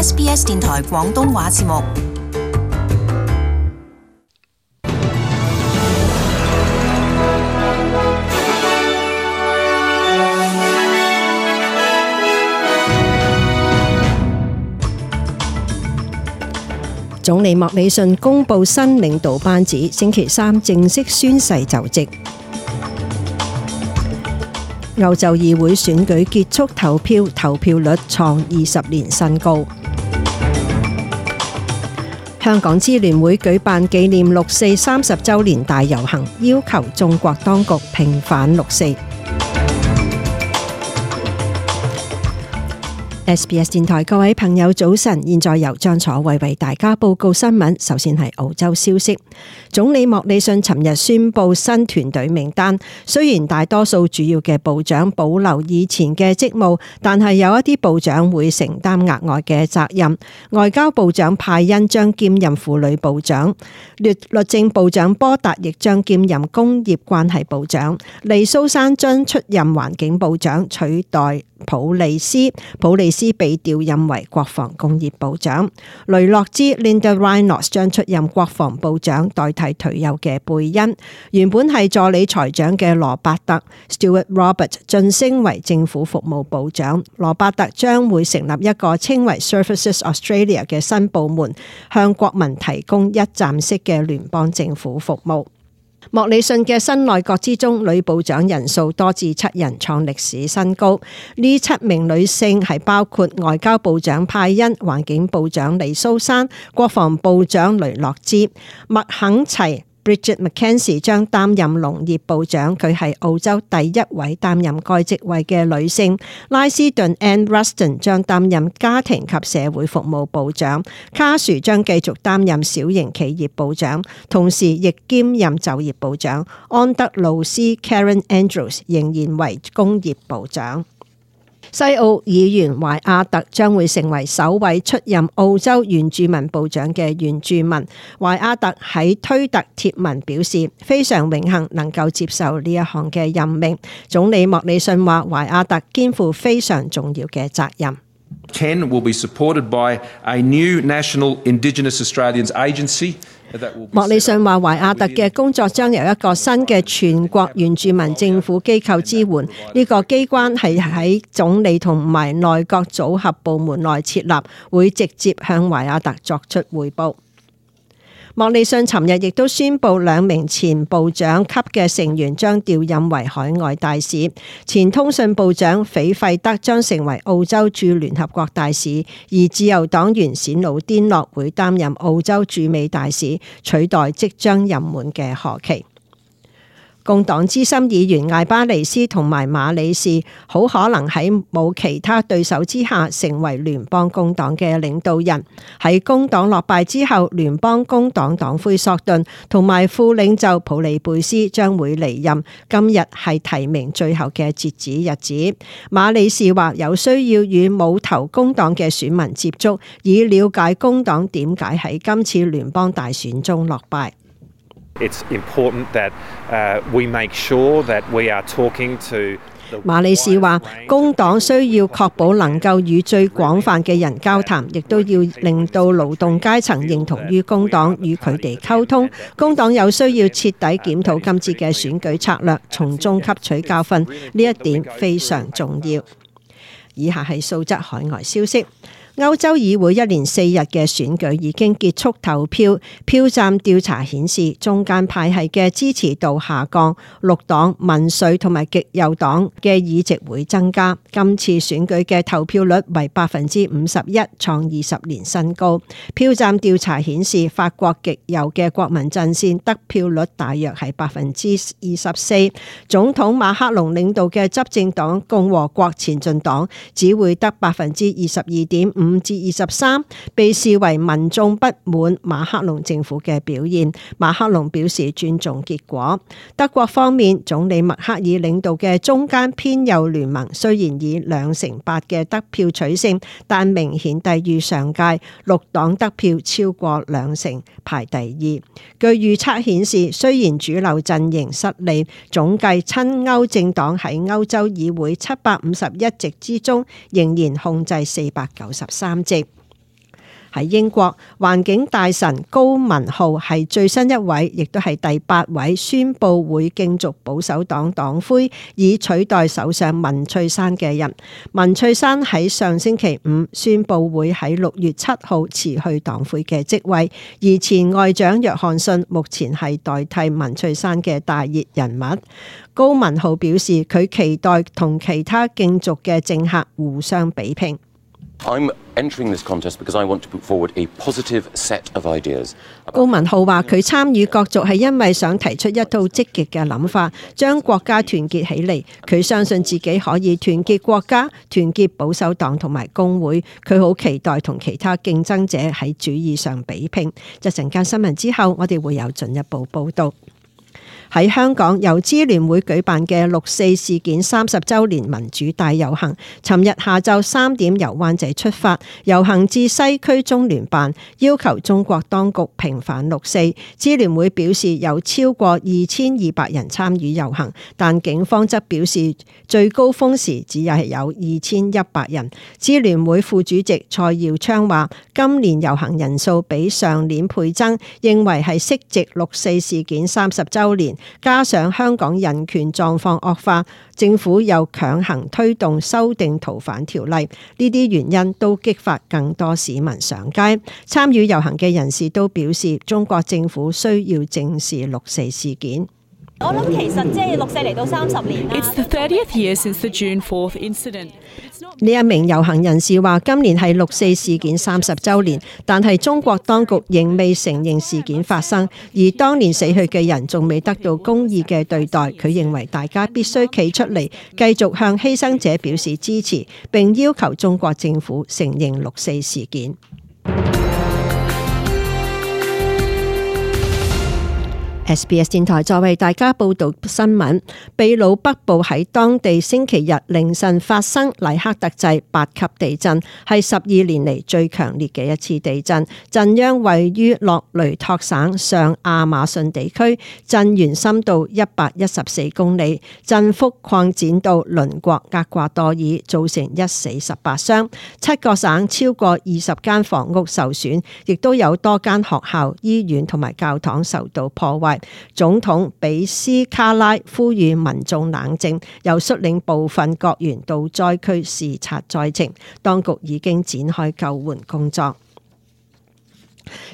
SBS 電台廣東話節目。總理莫里遜公布新領導班子，星期三正式宣誓就職。歐洲議會選舉結束投票，投票率創20年新高。香港支聯會舉辦紀念六四30週年大遊行，要求中國當局平反六四。SBS 電台各位朋友早晨，現在由張楚慧為大家報告新聞。首先係澳洲消息，總理莫里遜尋日宣布新團隊名單，雖然大多數主要嘅部長保留以前嘅職務，但係有一啲部長會承擔額外嘅責任。外交部長派恩將兼任婦女部長，律政部長波達亦將兼任工業關係部長，黎蘇珊將出任環境部長，取代普利斯被調任為國防工業部長，雷諾茲 Linda Rhinos 將出任國防部長，代替退休嘅貝恩。原本係助理財長嘅羅伯特 Stuart Robert 晉升為政府服務部長。羅伯特將會成立一個稱為 Services Australia 嘅新部門，向國民提供一站式嘅聯邦政府服務。莫里遜嘅新內閣之中，女部長人數多至7人，創歷史新高。呢7名女性係包括外交部長派恩、環境部長黎蘇珊、國防部長雷諾茲、麥肯齊。Bridget McKenzie 將擔任農業部長，佢係澳洲第一位擔任該職位嘅女性。拉斯頓 Ann Ruston 將擔任家庭及社會服務部長，卡殊將繼續擔任小型企業部長，同時亦兼任就業部長。安德魯斯 Karen Andrews 仍然為工業部長。西澳議員懷亞特將會成為首位出任澳洲原住民部長嘅原住民。懷亞特喺推特貼文表示，非常榮幸能夠接受呢一項嘅任命。總理莫里遜話，懷亞特肩負非常重要嘅責任。 10 will be supported by a new National Indigenous Australians Agency. 莫里遜話，懷亞特嘅工作將由一個新嘅全國原住民政府機構支援。呢個機關係喺總理同埋內閣組合部門內設立，會直接向懷亞特作出匯報。莫里遜尋日亦都宣布2名前部長級嘅成員將調任為海外大使。前通訊部長斐費德將成為澳洲駐聯合國大使，而自由黨員史努甸諾會擔任澳洲駐美大使，取代即將任滿嘅何奇。工黨資深議員艾巴尼斯同埋馬里士好可能喺冇其他對手之下成為聯邦工黨嘅領導人。喺工黨落敗之後，聯邦工黨黨魁索頓同埋副領袖普利貝斯將會離任。今日係提名最後嘅截止日子。馬里士話有需要與冇投工黨嘅選民接觸，以了解工黨點解喺今次聯邦大選中落敗。It's important that we make sure that we are talking to。馬里士話，工黨需要確保能夠與最廣泛嘅人交談，亦都要令到勞動階層認同於工黨，與佢哋溝通。工黨有需要徹底檢討今次嘅選舉策略，從中吸取教訓，呢一點非常重要。以下係素質海外消息。歐洲議會1連4日嘅選舉已經結束投票，票站調查顯示中間派系嘅支持度下降，綠黨、民粹同埋極右黨嘅議席會增加。今次選舉嘅投票率為51%，創20年新高。票站調查顯示法國極右嘅國民陣線得票率大約係24%，總統馬克龍領導嘅執政黨共和國前進黨只會得22.5%至23%，被視為民眾不滿馬克龍政府嘅表現。馬克龍表示尊重結果。德國方面，總理默克爾領導嘅中間偏右聯盟雖然以2成8嘅得票取勝，但明顯低於上屆。綠黨得票超過2成，排第2。據預測顯示，雖然主流陣營失利，總計親歐政黨喺歐洲議會751席之中，仍然控制493席。喺英國，環境大臣高文浩係最新一位，亦都係第8位宣布會競逐保守黨黨魁，以取代首相文翠珊嘅人。文翠珊喺上星期5宣布會喺6月7號辭去黨魁嘅職位，而前外長約翰遜目前係代替文翠珊嘅大熱人物。高文浩表示，佢期待同其他競逐嘅政客互相比拼。I'm entering this contest because I want to put forward a positive set of ideas. 高文浩話：佢參與角逐係因為想提出一套積極嘅諗法，將國家團結起嚟。佢相信自己可以團結國家、團結保守黨同埋工會。佢好期待同其他競爭者喺主義上比拼。一陣間新聞之後，我哋會有進一步報導。喺香港由支聯會舉辦嘅6·4事件30週年民主大遊行，尋日下晝3點由灣仔出發，遊行至西區中聯辦，要求中國當局平反6·4。支聯會表示有超過2200人參與遊行，但警方則表示最高峰時只係有2100人。支聯會副主席蔡耀昌話：今年遊行人數比上年倍增，認為係適值6·4事件30週年。加上香港人權狀況惡化，政府又強行推動修訂逃犯條例，呢啲原因都激發更多市民上街。參與遊行嘅人士都表示，中國政府需要正視6·4事件。我諗其實即係6·4嚟到30年啦。It's the 30th year since the June 4th incident. 呢一名遊行人士話：今年係6·4事件30週年，但係中國當局仍未承認事件發生，而當年死去嘅人仲未得到公義嘅對待。佢認為大家必須企出嚟，繼續向犧牲者表示支持，並要求中國政府承認6·4事件。SBS 電台再為大家報道新聞。秘魯北部喺當地星期日凌晨發生黎克特制8級地震，係12年嚟最強烈嘅一次地震。震央位於洛雷托省上亞馬遜地區，震源深度114公里，震幅擴展到鄰國厄瓜多爾，造成1死18傷。7個省超過20間房屋受損，亦都有多間學校、醫院同埋教堂受到破壞。總統比斯卡拉呼籲民眾冷靜，又率領部分國員到災區視察災情。當局已經展開救援工作。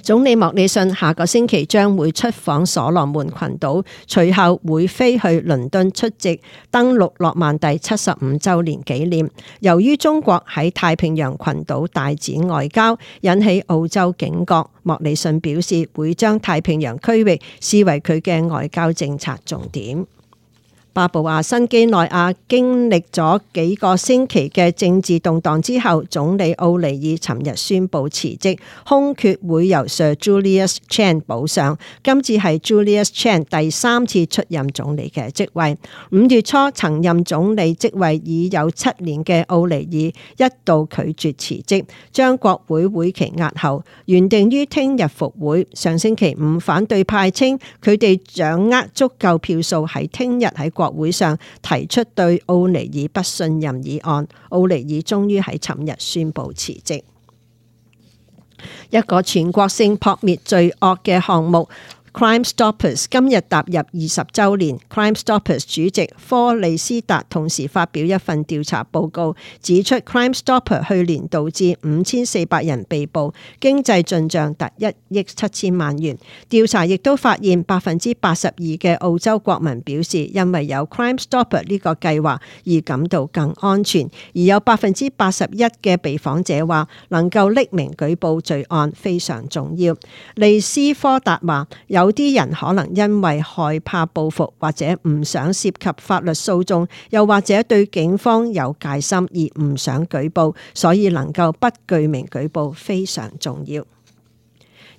總理莫里遜下個星期將會出訪所羅門群島，隨後會飛去倫敦出席登陸諾曼第75週年紀念。由於中國喺太平洋群島大展外交，引起澳洲警覺，莫里遜表示會將太平洋區域視為佢嘅外交政策重點。巴布亞新幾內亞經歷咗幾個星期嘅政治動盪之後，總理奧尼爾尋日宣布辭職，空缺會由 Sir Julius Chan 補上。今次係 Julius Chan 第3次出任總理嘅職位。5月初曾任總理職位已有7年嘅奧尼爾一度拒絕辭職，將國會會期押後，原定於聽日復會。上星期5，反對派稱佢哋掌握足夠票數喺聽日喺國會上提出對奧尼爾不信任議案，奧尼爾終於喺尋日宣布辭職。一個全國性撲滅罪惡嘅項目Crime Stoppers 今日踏入20週年。Crime Stoppers 主席科利斯達同時發表一份調查報告，指出 Crime Stoppers 去年導致5400人被捕，經濟進帳達1億7千萬元。調查亦都發現82%嘅澳洲國民表示，因為有 Crime Stoppers 呢個計劃而感到更安全，而有81%嘅被訪者話能夠匿名舉報罪案非常重要。利斯科達話有啲人可能因為害怕報復或者唔想涉及法律訴訟，又或者對警方有戒心而唔想舉報，所以能夠不具名舉報非常重要。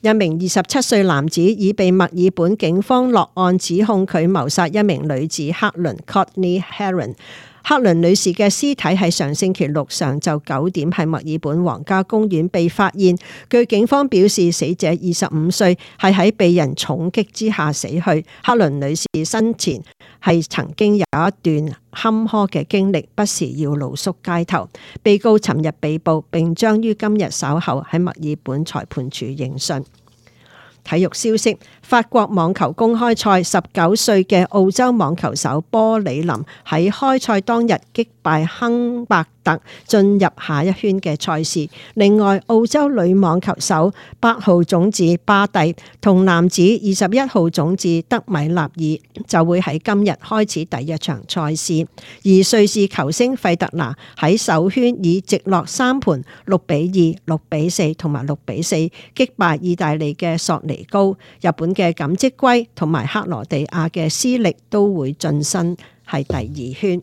一名27歲男子已被墨爾本警方落案指控佢謀殺一名女子克倫 Courtney Heron。克倫女士嘅屍體喺上星期六上晝9點喺墨爾本皇家公園被發現。據警方表示，死者25歲，係喺被人重擊之下死去。克倫女士生前係曾經有一段坎坷嘅經歷，不時要露宿街頭。被告尋日被捕，並將於今日稍後喺墨爾本裁判處應訊。體育消息：法國網球公開賽19歲嘅澳洲網球手波里林喺開賽當日擊敗亨伯特，進入下一圈嘅賽事。另外，澳洲女網球手8號種子巴蒂同男子21號種子德米納爾就會喺今日開始第一場賽事。而瑞士球星費特拿喺首圈以直落3盤6-2、6-4同埋6-4擊敗意大利嘅索尼高。日本嘅錦織圭同埋克羅地亞嘅斯力都會晉身係第2圈。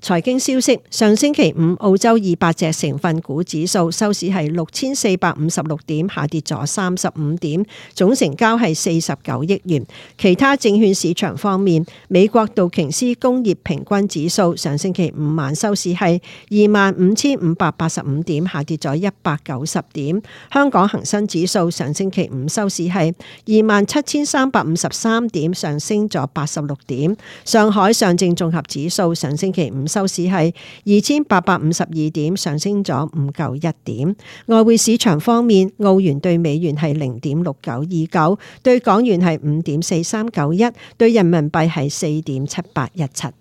財經消息：上星期五，澳洲200隻成分股指數收市係6456點，下跌咗35點，總成交係49億元。其他證券市場方面，美國道瓊斯工業平均指數上星期五晚收市係25,585點，下跌咗190點。香港恒生指數上星期五收市係27,353點，上升咗86點。上海上證綜合指數上星期五收市係2852點，上升咗唔夠1點。外匯市場方面，澳元對美元係0.6929，對港元係5.4391，對人民幣係4.7817。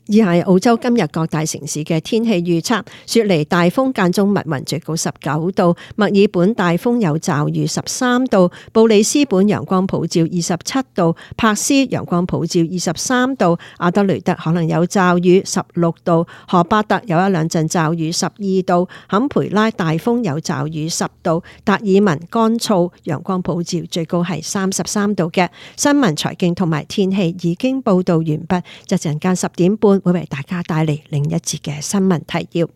以下係澳洲今日各大城市嘅天氣預測：雪梨大風間中密雲，最高19度；墨爾本大風有驟雨13度；布里斯本陽光普照27度；柏斯陽光普照23度；阿德雷德可能有驟雨16度；荷巴特有一兩陣驟雨12度；坎培拉大風有驟雨10度；達爾文乾燥陽光普照，最高係33度嘅。新聞、財經同埋天氣已經報道完畢，一陣間10點半。會為大家帶嚟另一節嘅新聞提要。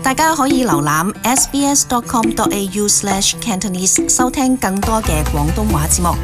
大家可以瀏覽 sbs.com.au/cantonese 收聽更多嘅廣東話節目。